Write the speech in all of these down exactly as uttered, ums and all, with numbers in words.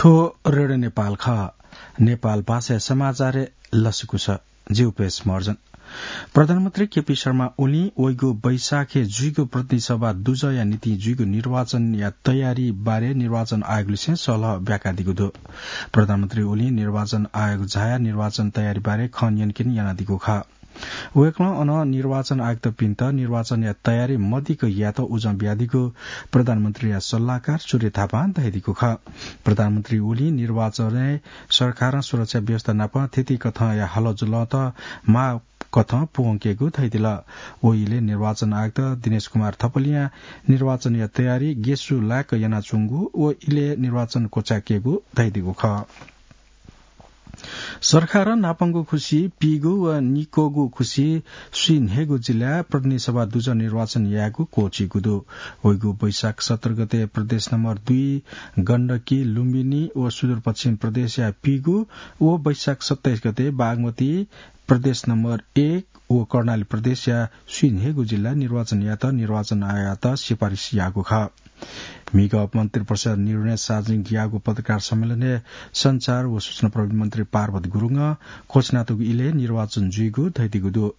थ्व रेडियो नेपाल खः। नेपाल भाषाया समाचारय् लसकुस। जिगु पेश महर्जन। प्रधानमन्त्री केपी शर्मा ओलीं वइगु वैशाखय् जुइगु प्रतिनिधि सभा दुजःया निंतिं जुइगु निर्वाचनया तयारी बारे निर्वाचन आयोगलिसें सल्लाह ब्याकादीगु दु। प्रधानमन्त्री ओलीं निर्वाचन आयोग झायाः निर्वाचन तयारी बारे खँ न्यंकेत यानादीगु खः। वय्कलं अन निर्वाचन आयुक्तपिन्त निर्वाचनया तयारी मदिक्क यायेत उजं बियादीगु प्रधानमन्त्रीया सल्लाहकार सूर्य थापां धयादीगु खः। प्रधानमन्त्री ओलीं निर्वाचनय् सरकारं सुरक्षा व्यवस्था नाप थीथी कथंया हलचलत माःकथं पूवंकेगु धयादिल। व इलय् निर्वाचन आयुक्त दिनेश कुमार थपलियां निर्वाचनया तयारी गेसु लाय्क यानाच्वंगु व इलय् निर्वाचन क्वचाय्केगु धयादीगु खः। सरकारं न्हापांगु खुसि पीगु व निक्वःगु खुसि स्वीन्हय्गू जिल्लाय् प्रतिनिधि सभा दुजः निर्वाचन यायेगु क्वःछिइगु दु। वइगु वैशाख सत्र गते प्रदेश नम्बर दुई गण्डकी, लुम्बिनी व सुदूरपश्चिम प्रदेशया पीगु व वैशाख सत्ताइस गते बागमती प्रदेश नम्बर एक व कर्णाली प्रदेशया स्वीन्हय्गू जिल्ला निर्वाचन यायेत निर्वाचन आयोगयात सिफारिस याःगु खः। म्हिगः मन्त्रिपरिषद् निर्णय सार्वजनिक याःगु पत्रकार सम्मेलनय् सञ्चार व सूचना प्रविधि मन्त्री पार्वत गुरुङं घोषणा याःगु इलय् निर्वाचन जुइगु धयादीगु दु।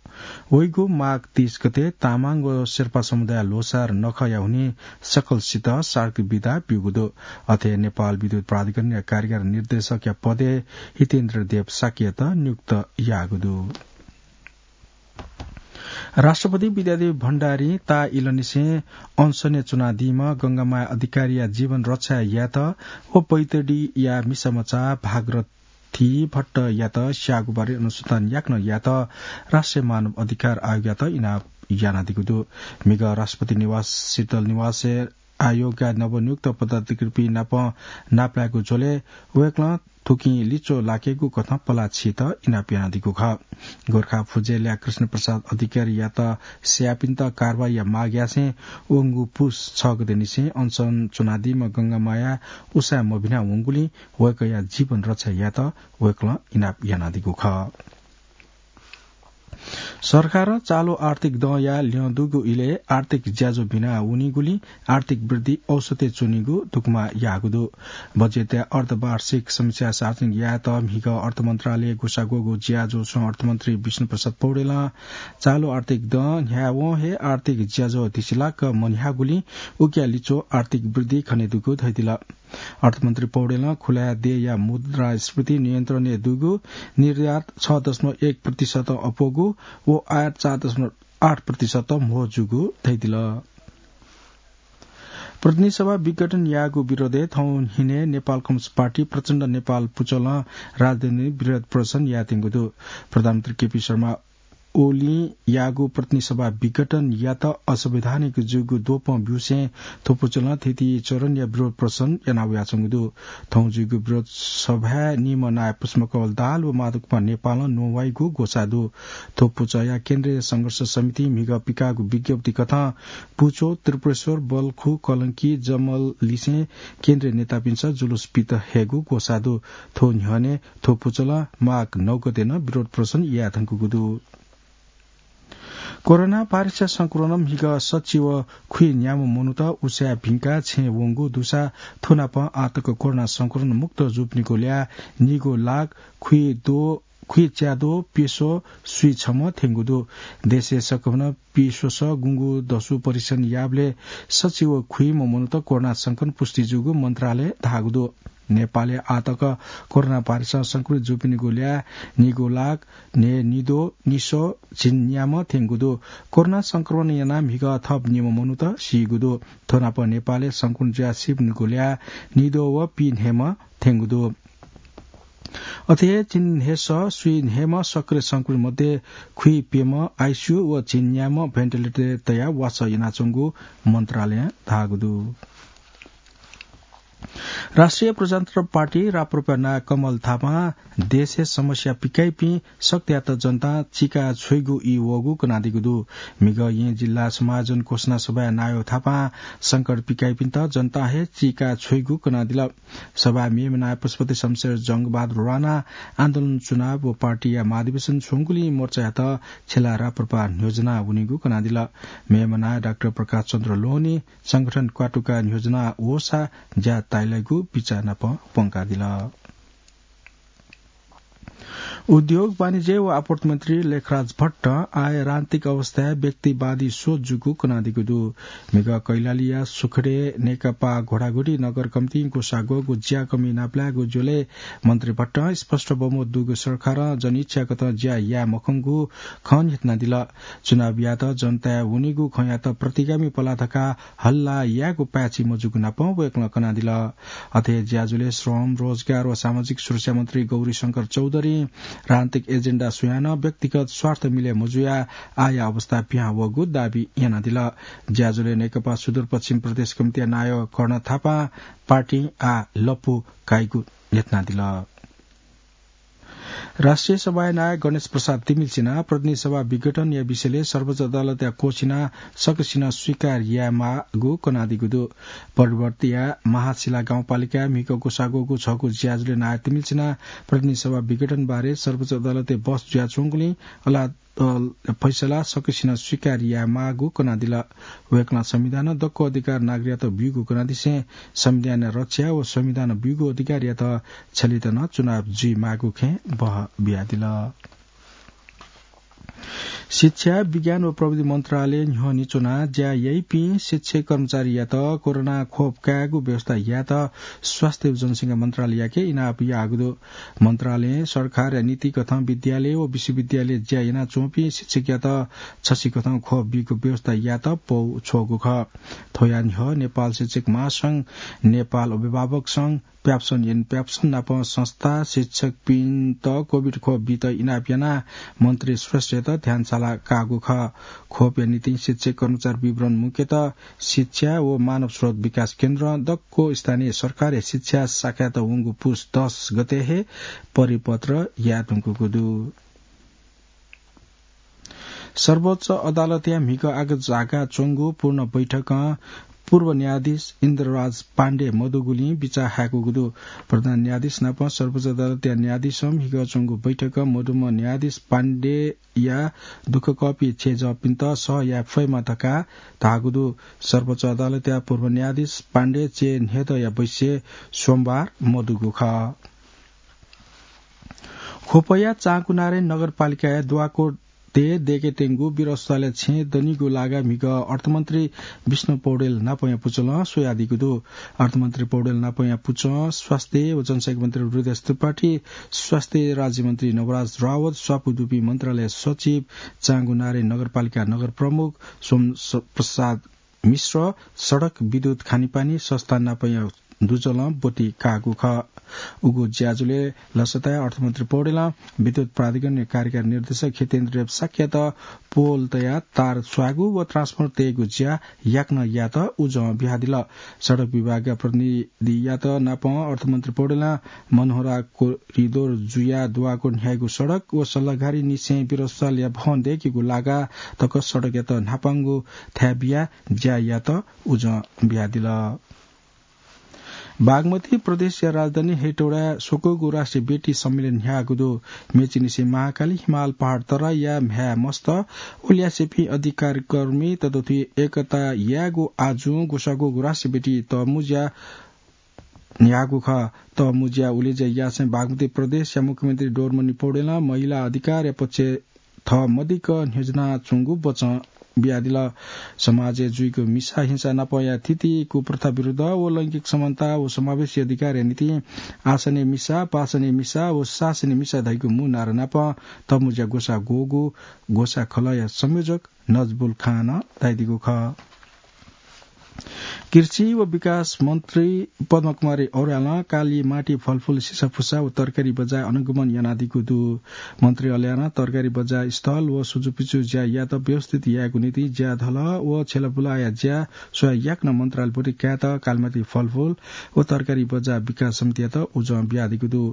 वइगु माघ तीस गते तामाङ व शेर्पा समुदाय ल्होसार नखःया हुनिं सकलसित सार्वजनिक बिदा ब्यूगु दु। अथे नेपाल विद्युत प्राधिकरणया कार्यकारी निर्देशकया पदय् हितेन्द्र देव शाक्ययात नियुक्त याःगु दु। राष्ट्रपति विद्यादेवी भण्डारीं ताः इलंनिसें अनसनय् च्वनादीम्ह गंगामाया अधिकारीया जीवन रक्षा यायेत व बैतडीया मिसामचा भागरथी भट्टयात स्याःगु बारे अनुसन्धान याकनं यायेत राष्ट्रिय मानव अधिकार आयोगयात इनाप यानादीगु दु। म्हिगः राष्ट्रपति निवास शीतल निवासय् आयोगया नवनियुक्त पदाधिकारीपिं नाप नापलायेगु झ्वलय् वय्कलं थुकिं लिच्वः लाकेगु कथं पलाः छियेत इनाप यानादीगु खः। गोरखा फुजेलया कृष्ण प्रसाद अधिकारीयात स्याःपिन्त कारवाहीया माग यासें वंगु पुस छ गतेनिसें अनसन च्वनादीम्ह गंगामाया उसाँय् मभिना वंगुलिं वय्कःया जीवन रक्षा यायेत वय्कलं इनाप यानादीगु खः। सरकारं चालु आर्थिक दँया ल्यं दुगु इलय् आर्थिक ज्याझ्वः भिना वनीगुलिं आर्थिक वृद्धि औसतय् च्वनीगु दुकमा याःगु दु। बजेटया अर्धवार्षिक समीक्षा सार्वजनिक यायेत म्हिगः अर्थ मन्त्रालयय् ग्वसाः ग्वःगु ज्याझ्वलय् अर्थमन्त्री विष्णु प्रसाद पौडेलं चालु आर्थिक दँ न्ह्यावं हे आर्थिक ज्याझ्वः धिसिलाक मन्ह्याःगुलिं उकिया लिच्वः आर्थिक वृद्धि खनेदुगु धयादिल। अर्थमन्त्री पौडेलं खुलाया देय्‌या मुद्रास्फीति नियन्त्रणय् दुगु, निर्यात छ दशमलव एक प्रतिशत अप्वःगु व आयात चार दशमलव आठ प्रतिशत म्हो जूगु धयादिल। प्रतिनिधि सभा विघटन याःगु विरोधय् थौं न्हिनय् नेपाल कम्युनिस्ट पार्टी प्रचण्ड नेपाल पुचलं राजधानीइ विरोध प्रदर्शन यायेत्यंगु दु। प्रधानमन्त्री केपी शर्मा ओलीं याःगु प्रतिनिधि सभा विघटनयात असंवैधानिक जूगु द्वपं ब्यूसें थ्व पुचलं थीथी चरणया विरोध प्रदर्शन याना वयाच्वंगु दु। थौं जूगु विरोध सभाय् निम्ह नायः पुष्पकमल दाहाल व माधव कुमार नेपालं न्ववाइगु ग्वसाः दु। थ्व पुचःया केन्द्रीय संघर्ष समितिं म्हिगः पिकाःगु विज्ञप्ति कथं पुचः, त्रिपुरेश्वर, बल्खु, कलंकी, जमललिसें केन्द्रीय नेतापिन्सं जुलुस पित हयेगु ग्वसाः दु। थ्व न्ह्यःने थ्व पुचलं माघ नौ गते नं विरोध प्रदर्शन याये धुंकूगु दु। कोरोना भाइरसया संक्रमणं म्हिगः सच्छि व खुइ न्याम्ह मनूत उसाँय् भिंकाः छेँय् वंगु दुसा थ्व नापं आःतक कोरोना संक्रमण मुक्त जूपिनिगु ल्याः निगू लाख खुइद्वः, खुइच्याद्वः प्यसः स्वीछम्ह थ्यंगु दु। देशय् सकभनं पीस्वसः गुंगू दसु परीक्षण याःबलय् सच्छि व खुइम्ह मनूत कोरोना संक्रमण पुष्टि जूगु मन्त्रालयं धाःगु दु। नेपालय् आःतक कोरोना भाइरसं संक्रमित जूपिनिगु ल्याः निगू लाख न्हय्निद्वः निसः झिंन्याम्ह थ्यंगु दु। कोरोना संक्रमण यानाः म्हिगः थप निम्ह मनूत सीगु दु। थ्व नाप नेपालय् संक्रमण जुयाः सीपिनिगु ल्याः निद्वः व पीन्हय्म्ह थ्यंगु दु। अथे हे झिंन्हय्सः स्वीन्हय्म्ह सक्रिय संक्रमित मध्ये खुइप्यम्ह आइसियू व झिंन्याम्ह भेन्टिलेटरय् तयाः वासः यानाच्वंगु मन्त्रालयं धाःगु दु। राष्ट्रिय प्रजातन्त्र पार्टी राप्रपाया नायः कमल थापां देशय् समस्या पिकाइपिं सकतायात जनतां चिका छ्वइगु ई वःगु कनादीगु दु। म्हिगः येँ जिल्ला समायोजन घोषणा सभाय् नायः थापां संकट पिकाइपिन्त जनतां हे चिका छ्वइगु कनादिल। सभाय् मेम्ह नायः पशुपति शमशेर, जंगबहादुर राणा, आन्दोलन चुनाव व पार्टीया महाधिवेशन छ्वंगुलिं मोर्चायात छ्यला राप्रपा न्ह्यज्वना वनीगु कनादिल। मेम्ह नायः डाक्टर प्रकाश चन्द्र लोहनी संगठन क्वातुका न्ह्यज्वना वःसा ज्या ताइलाइगु बिचाः नाप प्वंकादिल। उद्योग, वाणिज्य व आपूर्ति मन्त्री लेखराज भट्टं आर्थिक अवस्थाय् व्यक्तिवादी सोच जूगु कनादीगु दु। म्हिगः कैलालीया सुखडे नेकपा घोडाघोडी नगर कमितिं ग्वसाः ग्वःगु ज्या कमय् नापलायेगु ज्वलय् मन्त्री भट्टं स्पष्ट बहुमत दुगु सरकारं जनइच्छाकथं ज्या याये मखंगु खँ न्ह्यथनादिल। चुनावयात जनताया वनीगु खँयात प्रतिगामी पलाः धकाः हल्ला यायेगु पाय्छि मजूगु नापं वय्कलं कनादिल। अथे ज्याझ्वलय् श्रम, रोजगार व सामाजिक सुरक्षा मन्त्री गौरीशंकर चौधरीं राजनीतिक एजेन्डा स्वयाः नं व्यक्तिगत स्वार्थ मिले मजुयाः आःया अवस्था पिहां वःगु दाबी यानादिल। ज्याझ्वलय् नेकपा सुदूरपश्चिम प्रदेश कमिटीया नायः कर्ण थापां पार्टीं आः लँपु काइगु न्ह्यथनादिल। राष्ट्रिय सभाया नायः गणेश प्रसाद तिमिल्सिनां प्रतिनिधि सभा विघटनया विषयलय् सर्वोच्च अदालतया क्वःछिनाः सकसिनं स्वीकार यायेमाःगु कनादीगु दु। पर्वतीया महाशिला गाउँपालिकाय् म्हिगः ग्वसाः ग्वःगु छगू ज्याझ्वलय् नायः तिमिल्सिनां प्रतिनिधि सभा विघटन बारे सर्वोच्च अदालतय् बहस जुयाच्वंगुलिं अला-, अ, फैसला सकसिनं स्वीकार यायेमाःगु कनादिल। वय्कलं संविधानं दक्व अधिकार नागरिकयात ब्यूगु कनादिसें संविधानया रक्षा व संविधानं ब्यूगु अधिकारयात छ्यलेत नं चुनाव जुइमाःगु खँय् बहः बियादिल। शिक्षा, विज्ञान व प्रविधि मन्त्रालय न्ह्यःने च्वनाः ज्या याइपिं शिक्षक कर्मचारीयात कोरोना खोप कायेगु व्यवस्था यायेत स्वास्थ्य व जनसंख्या मन्त्रालययाके इनाप याःगु दु। मन्त्रालयं सरकारया नीतिकथं विद्यालय व विश्वविद्यालय ज्या यानाच्वंपिं शिक्षकयात छसिकथं खोप बीगु व्यवस्था यायेत पौ छ्वःगु खः। थ्वया न्ह्यः नेपाल शिक्षक महासंघ, नेपाल अभिभावक संघ, प्याप्सन एन प्याप्सन नाप संस्था शिक्षकपिन्त कोभिड खोप बीत इनाप यानाः मन्त्री श्रेष्ठयात ध्यानशाला काःगु खः। खोपया निंतिं शिक्षक कर्मचारी विवरण मुख्यतः शिक्षा व मानव स्रोत विकास केन्द्रं दक्व स्थानीय सरकारया शिक्षा शाखायात वंगु पुस दस गते हे परिपत्र याये धुंकूगु दु। सर्वोच्च अदालतया म्हिगः आगजगाः च्वंगु पूर्ण बैठकं पूर्व न्यायाधीश इन्द्रराज पाण्डे मदुगुलिं बिचाः हाय्कूगु दु। प्रधान न्यायाधीश नाप सर्वोच्च अदालतया न्यायाधीशं म्हिगः च्वंगु बैठकं मदुम्ह न्यायाधीश पाण्डेया दुःखकःपिं छेँजःपिन्त सह याये फयेमा धकाः धाःगु दु। सर्वोच्च अदालतया पूर्व न्यायाधीश पाण्डे चय्न्हय्दँया बैसे सोमबार मदुगु खः। ख्वपया चाँकुनारायणी नगरपालिकाया द्वाकोटय् दय्केत्यंगु वीर अस्पतालया छेँ दनिगु लागा म्हिगः अर्थमन्त्री विष्णु पौडेल नापंया पुचलं स्वयादीगु दु। अर्थमन्त्री पौडेल नापंया पुचं स्वास्थ्य व जनसंख्या मन्त्री हृदयेश त्रिपाठी, स्वास्थ्य राज्यमन्त्री नवराज रावत, स्वापू दुपिं मन्त्रालय सचिव, चाँकुनारायणी नगरपालिका नगर प्रमुख सोम स-, प्रसाद मिश्र, सडक, विद्युत, खानेपानी संस्थान नापंया दुजलं ब्वति काःगु खः। उगु ज्याझ्वलय् लसताय् अर्थमन्त्री पौडेलं विद्युत प्राधिकरणया कार्यकारी निर्देशक हितेन्द्र देव शाक्ययात पोल तयाः तार स्वायेगु व ट्रान्सफर तयेगु ज्या याकनं यायेत उजं बियादिल। सडक विभागया प्रतिनिधियात नापं अर्थमन्त्री पौडेलं मनोहरा कोरिडोर जुयाः द्वाकोट न्ह्याइगु सडक व सल्लाघारीनिसें वीर अस्पतालया भवन दय्केगु लागा तक सडकयात न्हापांगु थाय् बियाः ज्या यायेत उजं बियादिल। बागमती प्रदेशया राजधानी हेटौडाय् स्वकूगु राष्ट्रिय बेटी सम्मेलन न्ह्याःगु दु। मेचीनिसें महाकाली हिमाल पहाड तराईया म्ह्याय् मस्त व ल्यासेपिं अधिकारकर्मी ततथुइ एकता यायेगु आजुं ग्वसाः ग्वःगु राष्ट्रिय बेटी तःमुँज्या न्ह्याःगु खः। तःमुँज्या उलेज्या यासें बागमती प्रदेशया मुख्यमन्त्री डोरमणि पौडेलं महिला अधिकारया पक्षय् थः मदिक्क न्ह्यज्यानाच्वंगु बचं बियादिल। समाजय् जुइगु मिसा हिंसा नापंया थिति, कुप्रथा विरुद्ध व लैंगिक समानता व समावेशी अधिकारया निंतिं आसनय् मिसा, पासनय् मिसा व शासनय् मिसा धइगु मू नारा नापं तःमुँज्या ग्वसाः ग्वःगु ग्वसाः खलःया संयोजक नजबुल खानं धयादीगु खः। कृषि व विकास मन्त्री पद्मकुमारी औरालं काली माटी, फलफुल, सिसाफुसा व तरकारी बजाय् अनुगमन यानादीगु दु। मन्त्री औरालं तरकारी बजाय् स्थल व सुचुपिचु ज्या यायेत व्यवस्थित यायेगु निंतिं ज्याधल व छ्यलाबुलाया ज्या स्वयाः याकनं मन्त्रालयभरि कायेत कालीमाटी फलफुल व तरकारी बजाय् विकास समितियात उजं बियादीगु दु।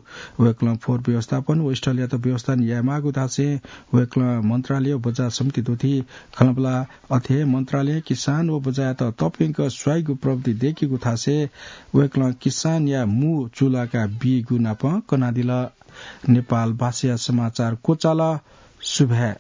वय्कलं फोहोर व्यवस्थापन व स्थलयात व्यवस्थापन यायेमाःगु धासें वय्कलं मन्त्रालय व बजाय् समिति द्वथी खँल्हाबल्हा अथे हे मन्त्रालयं किसान व बजाःयात तःप्यंक स्वाइगु प्रविधि दय्केगु धासें वय्कलं किसानया मू चूलाका बीगु नाप कनादिल। नेपाल भाषाया समाचार क्वचाल। सुभाय्।